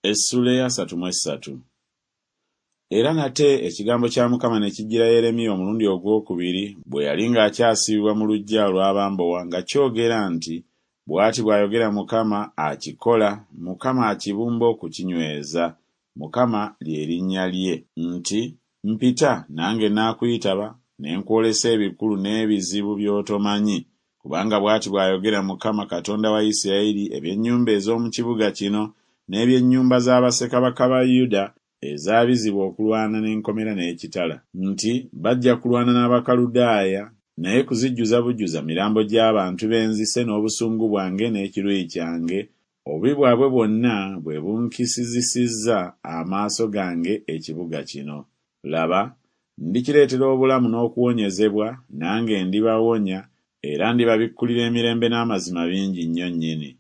Essuula ey'asatu mu essatu. Era nate ekigambo kya Mukama ne kijjira Yeremiya omulundi ogw'okubiri bwe yali ng'akyasibibwa mu luggya olw'abambowa nga kyogera nti, Bw'ati bw'ayogera Mukama akikola, Mukama akibumba okukinyweza, Mukama lye linnya lye, nti Mpita, nange naakuyitaba, ne nkwolesa ebikulu n'ebizibu by'otomanyi. Kubanga bw'ati bw'ayogera Mukama Katonda wa Isiraeri eby'ennyumba ez'omu kibuga kino n'eby'ennyumba za bassekabaka ba Yuda ezaabizibwa okulwana n'enkomera n'ekitala, nti Bajja kulwana n'Abakaludaaya, naye kuzijjuza bujjuza mirambo gy'abantu be nzise n'obusungu bwange n'ekiruyi kyange, obubi bwabwe bwonna bwe bunkisizisizza amaaso gange ekibuga kino. Laba, ndikireetera obulamu n'okuwonyezebwa, nange ndibawonya, era ndibabikkulira emirembe n'amazima bingi nnyo nnyini.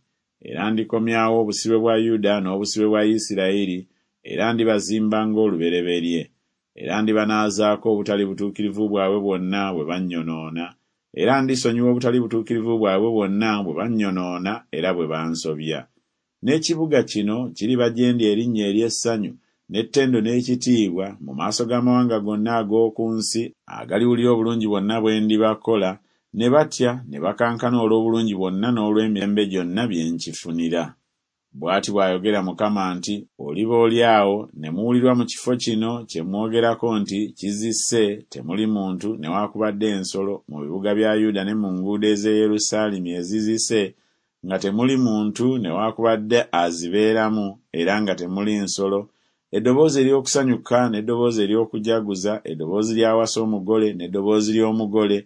Era ndikomyawo obusibe bwa Yuda n'obusibe bwa Isiraeri, era ndibazimba ng'olubereberye. Era ndibanaazaako obutali butuukirivu bwabwe bwonna bwe bannyonoona, era ndisonyiwa obutali butuukirivu bwabwe bwonna bwe bannyonoona era bwe bansobya. N'ekibuga kino kiriba gye ndi erinnya ery'essanyu n'ettendo n'ekitiibwa mu maaso g'amawanga gonna ag'oku nsi agaliwulira obulungi bwonna bwe ndibakola, ne batya ne bakankana olw'obulungi bwonna n'olw'emirembe gyonna bye nkifunira. Bw'ati bw'ayogera Mukama nti Oliba oli awo ne muwulirwa mu kifo kino kye mwogerako nti Kizise, temuli muntu newakubadde ensolo, mu bibuga bya Yuda ne mu nguudo ez'e Yerusaalemi ezizise, nga temuli muntu newakubadde azibeeramu era nga temuli nsolo, eddoboozi ery'okusanyuka n'eddoboozi ery'okujaguza, eddoboozi ly'awasa omugole n'eddoboozi ly'omugole,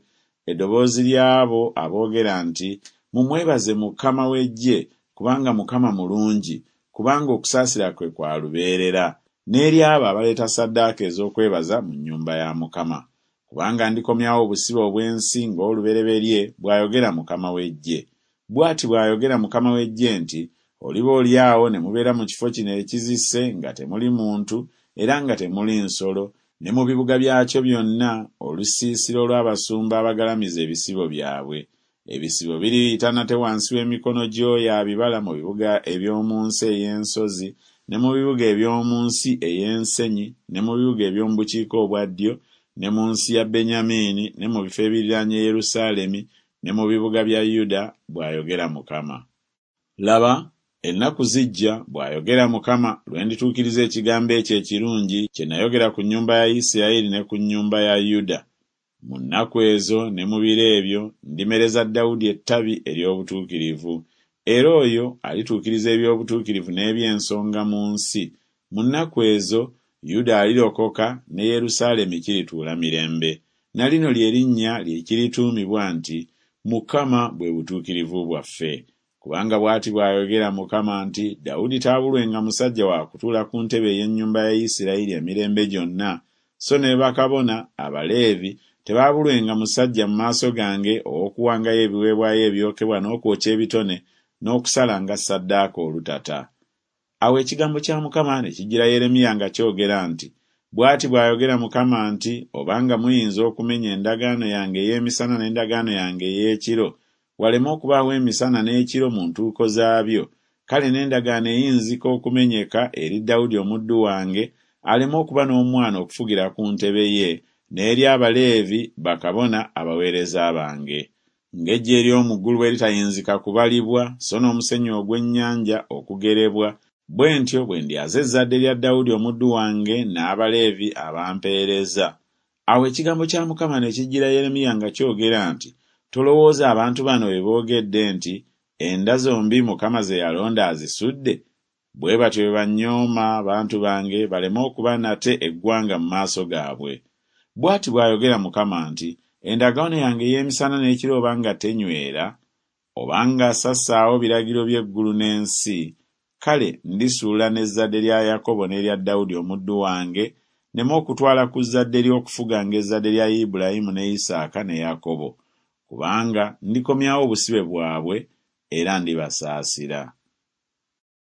eddoboozi ly'abo aboogera nti Mumwebaze Mukama w'eggye, kubanga Mukama mulungi, kubanga okusaasira kwe kwa lubeerera, n'ery'abo abaleeta ssaddaaka ez'okwebaza mu nnyumba ya Mukama. Kubanga ndikomyawo obusibe obw'ensi ng'olubereberye, bw'ayogera Mukama w'eggye. Bw'ati bw'ayogera Mukama w'eggye nti Oliba oli awo ne mubeera mu kifo kino ekizise nga temuli muntu era nga temuli nsolo, ne mu bibuga byakyo byonna, olusiisira olw'abasumba abagalamiza ebisibo byabwe. Ebisibo biriyita nate wansi w'emikono gy'oyo abibala mu bibuga eby'omu nsi ey'ensozi ne mu bibuga eby'omu nsi ey'ensenyi ne mu bibuga eby'omu bukiika obwa ddyo ne mu nsi ya Benyamini ne mu bifo ebiriraanye Yerusaalemi ne mu bibuga bya Yuda, bw'ayogera Mukama. Laba, ennaku zijja, bw'ayogera Mukama, lwe ndituukiriza ekigambo ekyo ekirungi kye nayogera ku nnyumba ya Isirayiri ne ku nnyumba ya Yuda. Mu nnaku ezo ne mu biro ebyo ndimereza Dawudi ettabi ery'obutuukirivu, era oyo alituukiriza eby'obutuukirivu n'eby'ensonga mu nsi, mu nnaku ezo Yuda alirokoka ne Yerusaalemi kirituula mirembe. Na lino lye linnya lye kirituumibwa nti Mukama bwe butuukirivu bwaffe. Kubanga bw'ati bw'ayogera Mukama nti Dawudi taabulwenga musajja wa kutuula ku ntebe ey'ennyumba ya Isirayiri emirembe gyonna, so ne bakabona, Abaleevi, tebaabulwenga musajja mu maaso gange ow'okuwangayo ebiweebwayo ebyokebwa n'okwokya ebitone n'okusalanga ssaddaaka olutata. Awo ekigambo kya Mukama ne kijjira Yeremiya nga kyogera nti Bw'ati bw'ayogera Mukama nti Obanga muyinza okumenya endagaano yange ey'emisana n'endagaano yange ey'ekiro, waleme okubaawo emisana n'ekiro mu ntuuko zaabyo, kale n'endagaano eyinzika okumenyeka eri Dawudi omuddu wange, aleme okuba n'omwana okufugira ku ntebe ye, n'eri Abaleevi, bakabona, abaweereza bange. Ng'eggye ery'omu ggulu bwe litayinzika kubalibwa, so n'omusenyu ogw'ennyanja okugerebwa, bwe ntyo bwe ndyaza ezzadde lya Dawudi omuddu wange n'Abaleevi abampeereza. Awo ekigambo kya Mukama ne kijjira Yeremiya nga kyogera nti Tolowooza abantu bano bye boogedde nti Enda zombi Mukama ze yalonda azisudde? Bwe batyo bwe bannyooma abantu bange baleme okuba nate eggwanga mu maaso gaabwe. Bw'ati bw'ayogera Mukama nti Endagaano yange ey'emisana n'ekiro oba nga tenywera, oba nga sassaawo biragiro by'eggulu n'ensi, kale ndisuula n'ezzadde lya Yakobo n'erya Dawudi omuddu wange, nneme okutwala ku zzadde lye okufuganga ezzadde lya Ibulayimu ne Isaaka ne Yakobo, kubanga ndikomyawo obusibe bwabwe era ndibasaasira.